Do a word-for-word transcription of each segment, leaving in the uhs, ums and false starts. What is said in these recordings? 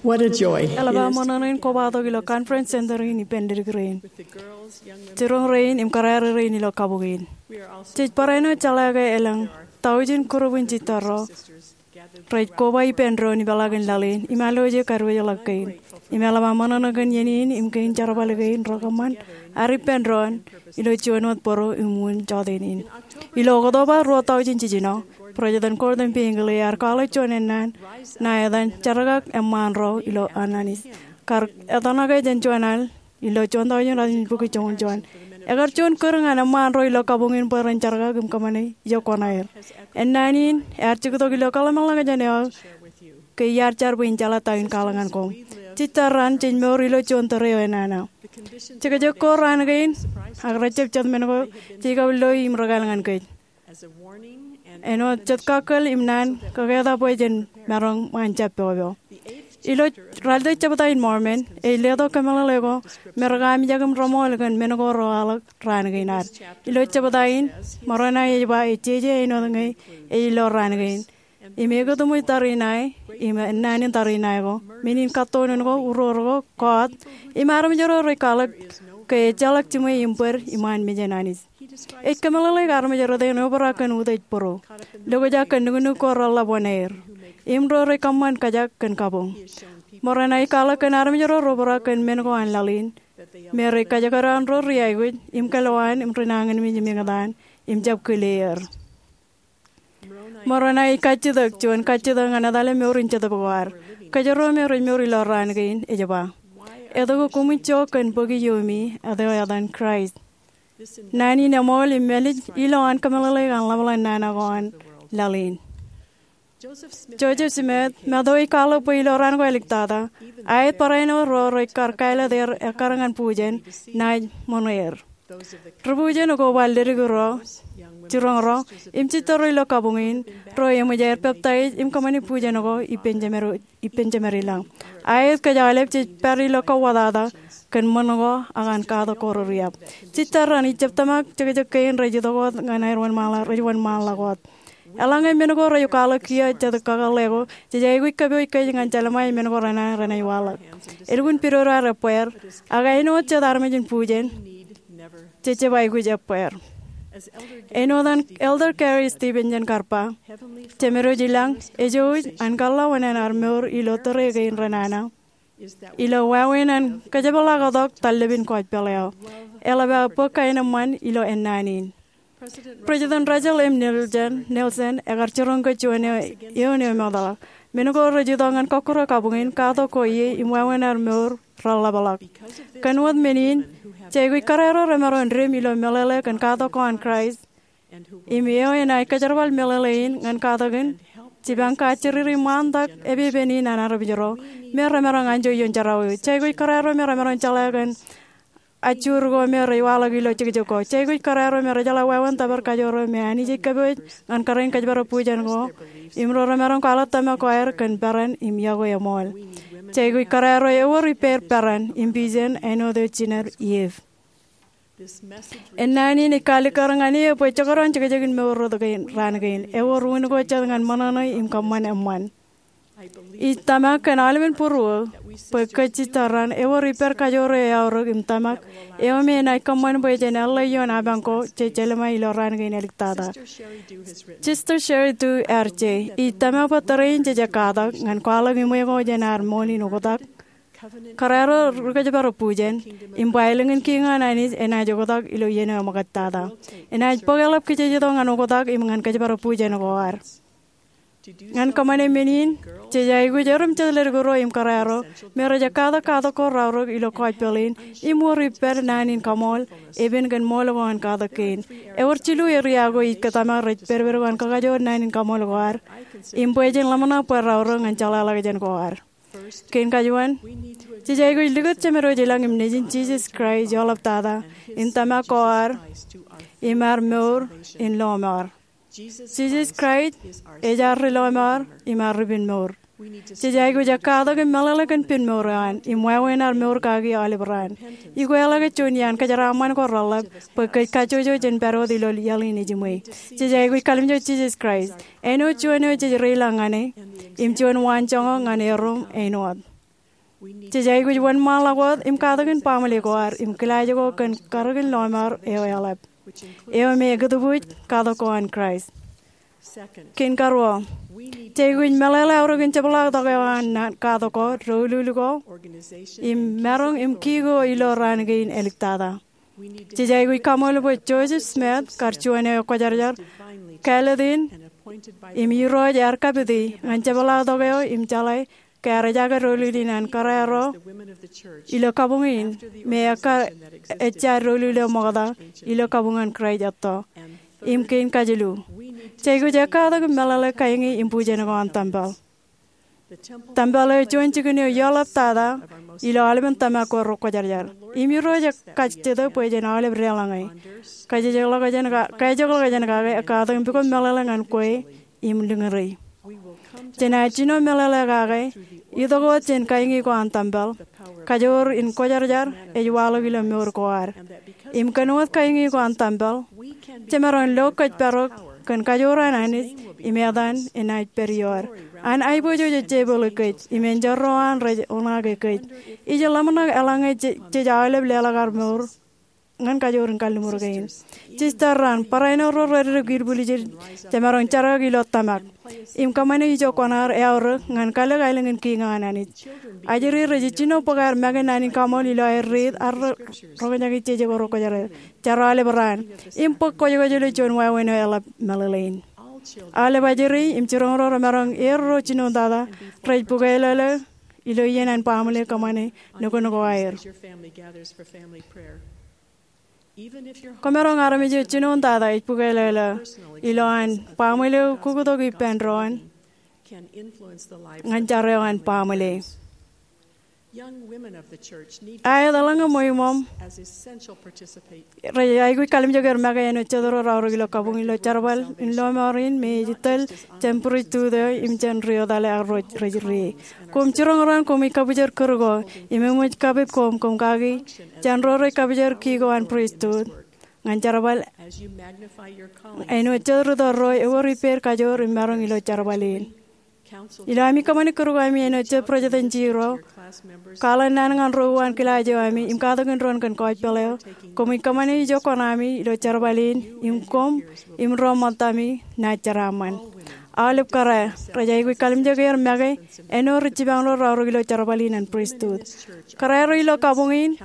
What a joy. Eḷap aō ṃōṇōṇō in kobatok ilo Conference Center in ippān leddik rein, jiroñ rein im kōrā rein ilo kabuñ in. Jej barāinwōt jeḷā ke elōñ taujin group in jitarro rej koba ippān doon ipeḷaakin laḷ in im eḷaññe kadiwōjḷọk kein. Im eḷap aō ṃōṇōṇō kōn iien in im kein jerbal kein rekōṃṃan ad ippān doon ilo juon wōt bōro im wūn jọteen in. Ilo Oktoba ruo taujin jiljino, President Gordon B. Hinckley ear kwaḷọk juon ennaan ṇa etan Jerkak Eṃṃaan Ro ilo Ananis. Kar etōṇake jān juon al ilo juon taujin ralitōk bukwi joñoul juon. Ekar juon kūr ñan eṃṃaan ro ilo kabuñ in bwe ren jerkak im kōṃṃane ijo kuṇaer. Ennaan in ear jiktok ilo kōḷmānḷọkjeṇ eo ke iar jar bwe in jeḷā ta in kwaḷọk ñan koṃ. Jitarran jej mour ilo juon tōre eo enana. Jekjek ko raan kein, ak rejjab jet men ko jej kab lo im rekāāl ñan kōj. Āinwōt jet kakkōl im naan kōketak bwe jen maroñ ṃaan jab popo. Ilo ralitōk jebta in Mormon, ej letok kōmeḷeḷe ko me rekaamijak im reṃool kōn men ko rewaḷọk raan kein ad. Ilo jebta in, Moronai ej ba ej jeje āinwōt ñe ej lo raan kein. Im ekōtṃōj tariṇae, im ennaan in tariṇae ko, men in kattoon ko, uror ko, kọọt, im armej ro rej kwaḷọk ke ejjeḷọk jiṃwe im bōd iṃaan mejān Anij. Ej kōmeḷeḷeik armej rot in obrak kōn utiej būruo, lokjak kōn nuknuk ko reḷḷap wōṇāer, im ro rej kōṃṃan kōjak kōn kabuñ. Moronai ej kwaḷọk kōn armej ro reobrak kōn men ko an laḷ in, me rej kajekdọọn ro ri aikuj im kōlwaan im ri nañinmej im eñtaan im jab kile er. Moronai ej kajjitōk juon kajjitōk ñan etale mour in Jetōb ko ad. Kōjro me rej mour ilo raan kein ej ba, etke koṃij jo kōn bōki iiōmi eo etan Kraist? Naan in eṃool im mālij ilo an kōmeḷeḷeik an ḷapḷap nana ko an laḷ in. Joseph Smith, Matthew ej kwaḷọk bwe ilo raan ko āliktata, aet barāinwōt ro rej kar kāālōt er ekkar ñan bujen, naaj ṃōṇōṇō er. Ri bujen ko bar leddik ro, jiroñ ro, im jitarro ilo kabuñ in, ro eṃōj aer peptaij im kōṃṃane bujen ko ippān jemed, ippān jemed ilañ. Aet kōj aolep jej pād ilo kauwōtata kōn ṃōṇ ko ak an katak ko rūriab. Jitarran ijab tōmak jekjek kein rej itok wōt ñan aer wōnṃaanḷọk, rej wōnṃaanḷọk wōt. Eḷaññe men ko rej kwaḷọk kiiō jet kakōḷḷe ko, jej aikuj kōpooj kōj ñan jelṃae men ko renana renaaj waḷọk. Elukkuun pidodo ad ebbeer, ak āinwōt jet armej in bujen, jej jab aikuj ebbeer. Āinwōt an Elder Gary Stevenson kar ba, Jemedwōj ilañ ejouj an kōḷḷā oṇāān ad mour ilo tōre kein renana ilo wāween an kōjepḷaaktok tallōpin gospel eo. Eḷap aō bōk kaenōṃṃan ilo ennaan in. President Russell M. Nelson, Nelson ekar jiroñ ke juon eo, eoon eo emootḷọk. Men ko rej itok ñan kọkkure kabuñ in, katak ko ie im wāween ad mour reḷḷapḷọk. Kōn wōt men in, jej aikuj kōrā ro remaroñ dim ilo meḷeḷe kōn katak ko an Kraist. Im eo enaaj kōjerbal meḷeḷe in ñan katak in, jipañ kajjiriri ṃaantak epepen in an armej ro me remaroñ anjọ ioon jerọwiwi. Jej aikuj kōrā ro me remaroñ jeḷā kōn ajjoor ko me rej waḷọk ilo jekjek ko. Jej aikuj kōrā ro me rejeḷā wāween tōpar kajoor eo me Anij ej kōpooj ñan kōrā in kōjparok bujen ko, im ro remaroñ kwaḷọk tōmak ko aer kōn peran im iọkwe eṃool. Jej aikuj kōrā ro ewōr ippāer peran im vision āinwōt eo jined Iv. Ennaan in ej kaalikkar ñan eō bwe jekdọọn jekjekin mour rot kein raan kein, ewōr unin ko jet ñan ṃōṇōṇō im kōṃṃan eṃṃan. Ij tōmak kōn aolepen būruō bwe kōj jitarran ewōr ippād kajoor eo eaorōk im tōmak eo me enaaj kōṃṃan bwe jen eḷḷā ioon apañ ko jej jelṃae ilo raan kein āliktata. Sister Sheri Dew ear je, ij tōmak bwe tōre in jej katak ñan kwaḷọk iṃwe ko jān ad ṃool in oktak. Kōrā ro ri kōjparok bujen, im bwāālōñ in kiiñ an Anij enaaj oktak ilo iien eo eṃōkajtata. Enaaj bōk eḷap kijejetok ñan oktak im ñan kōjparok bujen ko ad. Ñan kōṃṃane men in, jej aikuj erom jet leddik ro im kōrā ro me rej katak katak ko raorōk ilo gospel in im wōr ippād naan in kaṃool, epen kōn ṃool ko an katak kein. Ewōr jilu eria ko ij tōmak rej pedped ko an kakajoor naan in kaṃool ko ad im bwe jen ḷōmṇak bwe raorōk ñan jeḷāḷọkjeṇ ko ad. Kein kajuon, jej aikuj likūt Jemedwōj ilañ im Nejin Jisōs Kraist eḷaptata in tōmak ko ad im ad mour in lọmọọr. Jisōs Kraist ej ad ri lọmọọr im ad ri pen mour. Jej aikuj katak im meḷeḷe kōn pen mour eo an im wāween ad mour kaki aolep raan. Ikweḷọk juon iaan kōjeraaṃṃan ko reḷḷap bwe kōj kajjojo jān pād wōt ilo iaḷ in ejiṃwe. Jej aikuj kalimjek Jisōs Kraist āinwōt juon eo jej reilañ ñan e im juon waanjoñak ñan erom āinwōt. Jej aikuj wōnṃaanḷọk wōt im katakin baaṃle ko ad im kilaaj ko kōn karōkin lọmọọr eo eḷap, eo me ekūtbuuj katak ko an Kraist. Kein karuo, jej aikuj meḷeḷe aorōkin jepḷaaktok eo an katak ko, doulul ko, im maroñ im ki ko ilo raan kein āliktata. Jej aikuj kaṃool bwe Joseph Smith, kar juon eo ekwōjarjar kāālōt in im Irooj ear kapiti ñan jepḷaaktok eo im jeḷā ke ear ejaake doulul in an kōrā ro ilo kabuñ in me ekkar ejja doulul eo ṃokta ilo kabuñ an Kraist etto. Im kein kajilu, jej aikuj ekkatak im meḷeḷe kainge im bujen ko an tempel. Tempel eo juon jikin eo eḷaptata ilo aolepen tōmak ko rekwōjarjar. Im Irooj ekajjitōk bwe jen aolep deḷọñe. Kajejekḷọk jān kake, ekkatak im pukot meḷeḷe ñan kwe im liñuri. Jenaaj jino meḷeḷe kake itok wōt jān kainge ko an tempel, kajoor in kwōjarjar ej waḷọk ilo mour ko ad. Im kōn wōt kainge ko an tempel, jemaroñ lo kōjparok kōn kajoor an Anij im etan enaaj pād ioer. An aiboojoj ej jepeli kōj im enjeḷ ro an rej oṇaake kōj. Ij ḷōmṇak eḷaññe jej aolep leḷọk ad mour ñan kajoor in kalliṃur kein. Sisters, barāinwōt ro rej dikdik ipwiljied jemaroñ jerkakḷọk ilo tōmak im kōṃṃane ijo kuṇaad eaorōk ñan kalōk aelōñ in kiiñ an Anij. Ajri rej jino bōk aer make naan in kaṃool ilo aer riit ak roñjake jeje ko rekwōjarjar. Jar aolep raan im bōk kwōjkwōj ilo juon wāween eo eḷap meḷeḷein. Aolep ajri im jiroñ ro remaroñ er ro jinoin tata rej bukwelōlō ilo iien an baaṃle kōṃṃane nukun ko aer. Kwōmaroñ armej eo jinoin tata ej bukwelōlō ilo an baaṃle eo kuktok ippān doon ñan jar eo an baaṃle. Aet, eḷaññe ṃweiṃōṃ rej aikuj kalimjek er make āinwōt jet ro raorōk ilo kabuñ ilo jerbal in lọmọọr in me ej tōl jān pristut eo im jān ri etale ak ro rej ri ie. Koṃ jiroñ raṇ koṃij kabwijer kūr ko im eṃōj kapit koṃ koṃ kaki jān ro rej kabwijer ki ko an pristut ñan jerbal āinwōt jet rūtto ro ewōr ippād kajoor im maroñ ilo jerbal in. Ilo ami kōṃṃani kūr ko ami āinwōt jet president eo, kwaḷọk naan ñan ro uwaan kilaaj eo ami im katakin doon kōn gospel eo, koṃij kōṃṃane ijo kuṇaami ilo jerbal in im koṃ im ro ṃōttami naaj jeraaṃṃan. Aolep kōrā rej aikuj kalimjek er make āinwōt ri jipañ ro raorōk ilo jerbal in an pristut. Kōrā ro ilo kabuñ in,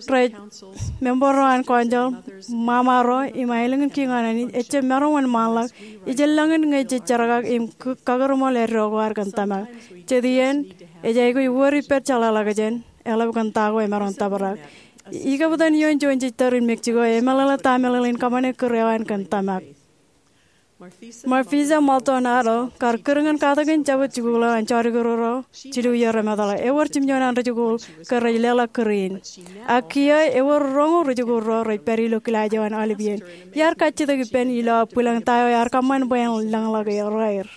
rej member ro an council, ṃaṃa ro im aelōñ in kiiñ an Anij, ejjab maroñ wōnṃaanḷọk. Ij lōñ in ñe jej jerkak im kakūrṃool eddo ko ad kōn tōmak. Jet iien ej aikuj wōr ippād jeḷāḷọkjeṇ eḷap kōn ta ko emaroñ tōprak. Ikaptan ioon juon sister in Mexico emeḷeḷe ta meḷeḷein kōṃṃane kūr eo an kōn tōmak. Marfisa Maldonado, kar kūr ñan katakin Jabōt Jikuuḷ eo an jodikdik ro jilu iiō remootḷọk, ewōr jimjuon an rijikuuḷ ke rej leḷọk kūr in. Ak kiiō ewōr roñoul rijikuuḷ ro rej pād ilo kilaaj eo an aolep iien. Iar kajjitōk ippān ilo aō bwilōñ ta eo ear kōṃṃan bwe en lōñḷọk er aer.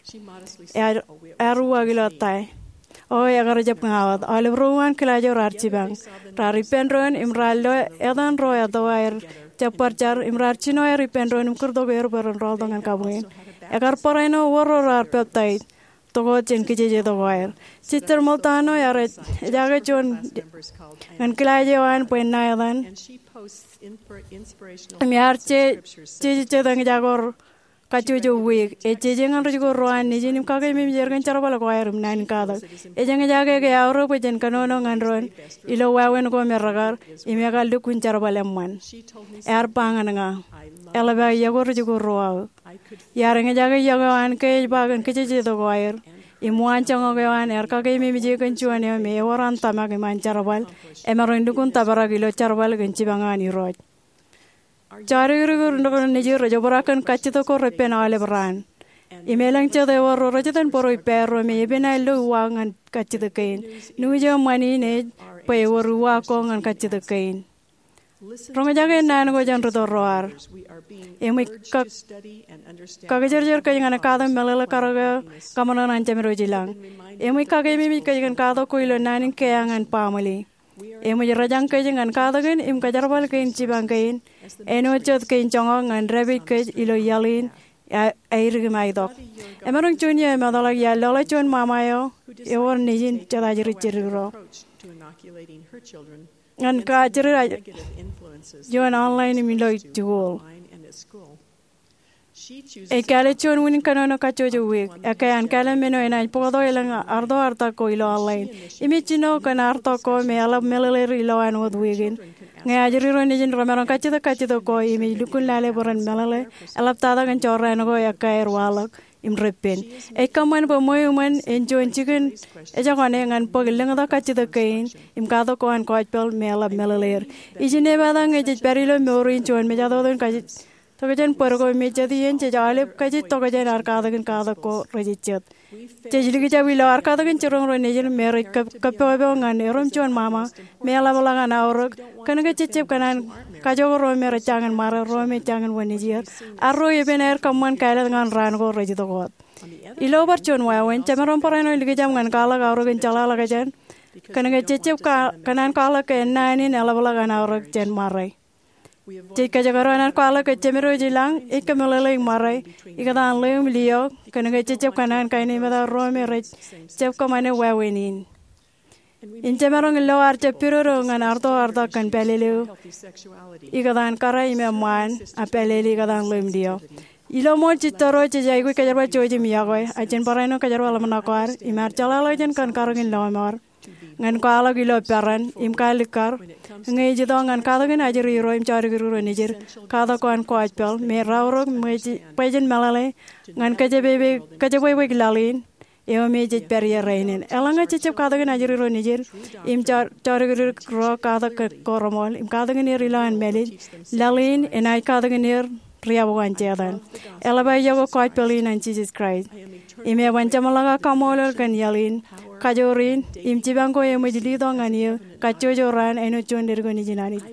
Ear, ear uwaak ilo ta eo ekar jab ña wōt. Aolep ro uwaan kilaaj eo raar jipañ. Raar ippān doon im raar lo etan ro etto aer jab bar jar im raar jino aer ippān doon im kūrtok er bwe ren rọọltok ñan kabuñ in. Ekar barāinwōt wōr ro raar peptaij tok wōt jān kijeje tok ko aer. Sister Maldonado ear ejaake juon ñan kilaaj eo an bwe en ṇa etan im ear jeje jet eñjake ko kajjojo wiik. Ej jeje ñan rijikuuḷ ro an nejin im kakeememej er kōn jerbal ko aer im naan in katak. Ej eñjake ke eaorōk bwe jen kōnono ñan doon ilo wāween ko me rekar im ekar lukkuun jerbal eṃṃan. Ear ba ñan ña, eḷap aō iọkwe rijikuuḷ ro aō. Iar eñjake iọkwe eo an ke ej ba kōn kijeje tok ko aer im waan joñak eo an ear kakeememej e kōn juon eo me ewōr an tōmak im an jerbal, emaroñ lukkuun tōprak ilo jerbal kōn jipañ an Irooj. Jodikdik ro nejid rej obrak kōn kajjitōk ko repen aolep raan. Im elōñ jet ewōr ro rej iten bōro ippāerro me epen aer lo uwaak ñan kajjitōk kein. News eo ṃani in ej bwe ewōr uwaak ko ñan kajjitōk kein. Roñjake naan ko jān rūtto ro ad. Eṃōj kakijerjer kōj ñan katak meḷeḷe karōk eo kaṃōṇōṇō an Jemedwōj i lañ. Eṃōj kakeememej kōj kōn katak ko ilo naan in keeañ an baaṃle. Eṃōj rejañ kōj ñan katakin im kajerbal kein jipañ kein āinwōt jet kein joñak ñan dāpij kōj ilo iaḷ in aer im aitok. Emaroñ juon iiō emetḷọk iar lọḷe juon ṃaṃa eo ewōr nejin jet ajri jidik ro ñan kajjitōk eo an online im ilo jikuuḷ. Ej kāālōt juon unin kōnono kajjojo wiik. Ekkā an kāālōt men eo enaaj bōktok elōñ artoartak ko ilo online. Im ej jino kōn artok ko me eḷap meḷeḷeir ilowaan wōt wiik in. Ñe ajri ro nejin remaroñ kajjitōk kajjitōk ko im ej lukkuun lale bwe ren meḷeḷe, eḷaptata kōn jorrāān ko ekkā aer waḷọk im reppen. Ej kōṃṃan bwe ṃweo iṃōn en juon jikin ejekone ñan bōk lōñtak kajjitōk kein im katak ko an gospel me eḷap meḷeḷeir. Ijin epatak ñe jej pād ilo mour in juon mejatoto in kajjitōk tokjān bōd ko me jet iien jej aolep kajjitōk tokjān ad katakin katak ko rejejjet. Jej likjab ilo ad katakin jiroñ ro nejin me rej kōppopo ñan erom juon ṃaṃa me eḷapḷọk an aorōk, kōnke jejjab kōṇaan kajjojo ro me rej jañin ṃare, ro me jañin wōnṃaanḷọk, ak ro epen aer kōṃṃan kāālōt ñan raan ko rej itok wōt. Ilo bar juon wāween, jemaroñ barāinwōt likjab ñan kwaḷọk aorōk in jeḷāḷọkjeṇ, kōnke jejjab kōṇaan kwaḷọk ke ennaan in eḷapḷọk an aorōk jān ṃare. Jej kōjekdọọn an kwaḷọk ke Jemed eo ilañ ej kōmeḷeḷeik ṃare ikōtaan ḷeo im liō, kōnke jejjab kōṇaan kainepata ro me rej jab kōṃṃane wāween in. Im jemaroñ lo ad jab pidodo ñan artoartak kōn pālele eo ikōtaan kōrā im eṃṃaan, ak pālele ikōtaan ḷeo im liō. Ilo ṃool jitōro jej aikuj kōjerbal jouj im iọkwe, ak jen barāinwōt kōjerbal ḷōmṇak ko ad im ad jeḷāḷọkjeṇ kōn karōk in lọmọọr ñan kwaḷọk ilo peran im kaalikkar ñe ej itok ñan katakin ajri ro im jodikdik ro nejid katak ko an gospel me raorōk bwe jen meḷeḷe ñan kōjebwebweik laḷ in eo me jej pād ie rainin. Eḷaññe jejjab katakin ajri ro nejid im jodikdik ro katak ko reṃool im katakin er ilowaan mālij, laḷ in enaaj katakin er riab ko an Setan. Eḷap aō iọkwe gospel in an Jisōs Kraist. Im eban jeṃḷọk aō kaṃṃoolol kōn iaḷ in, kajoor in, im jipañ ko eṃōj letok ñan eō kajjojo raan āinwōt juon ledik eo nejin Anij.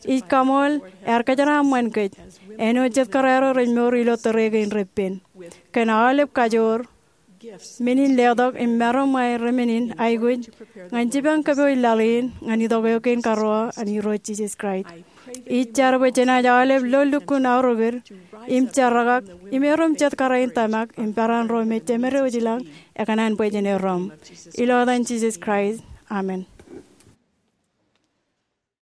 Ij kaṃool ear kōjeraaṃṃan kōj āinwōt jet kōrā ro rej mour ilo tōre kein reppen kōn aolep kajoor, men in letok im maroñ ṃae remen in aikuj ñan jipañ kōpooj laḷ in ñan itok eo kein karuo an Irooj Jisōs Kraist. Ij jar bwe jenaaj aolep lo lukkuun aorōkid im jerkak im erom jet kōrā in tōmak im peran ro me Jemed eo ilañ ekōṇaan bwe jen erom. Ilo etan Jisōs Kraist, amen.